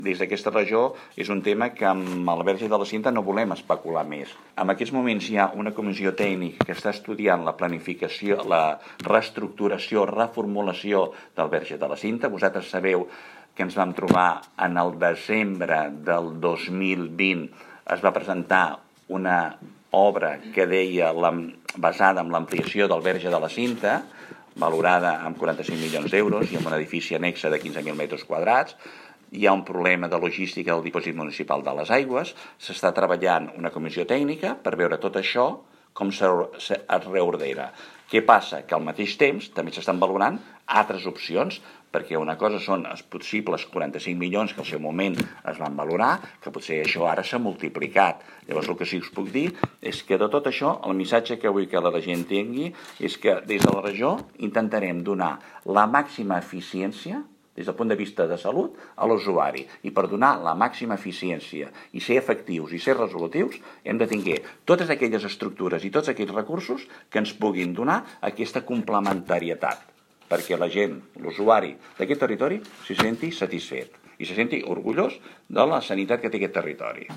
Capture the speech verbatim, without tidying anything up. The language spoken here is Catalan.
Des d'aquesta regió és un tema que amb el Verge de la Cinta no volem especular més. En aquests moments hi ha una comissió tècnica que està estudiant la planificació, la reestructuració, reformulació del Verge de la Cinta. Vosaltres sabeu que ens vam trobar en el desembre del dos mil vint, es va presentar una obra que deia la, basada en l'ampliació del Verge de la Cinta, valorada amb quaranta-cinc milions d'euros i amb un edifici annexe de quinze mil metres quadrats. Hi ha un problema de logística del dipòsit municipal de les aigües, s'està treballant una comissió tècnica per veure tot això com es reordena. Què passa? Que al mateix temps també s'estan valorant altres opcions, perquè una cosa són els possibles quaranta-cinc milions que al seu moment es van valorar, que potser això ara s'ha multiplicat. Llavors el que sí us puc dir és que de tot això el missatge que vull que la gent tingui és que des de la regió intentarem donar la màxima eficiència des del punt de vista de salut a l'usuari. I per donar la màxima eficiència i ser efectius i ser resolutius hem de tenir totes aquelles estructures i tots aquells recursos que ens puguin donar aquesta complementarietat perquè la gent, l'usuari d'aquest territori, s'hi senti satisfet i se senti orgullós de la sanitat que té aquest territori.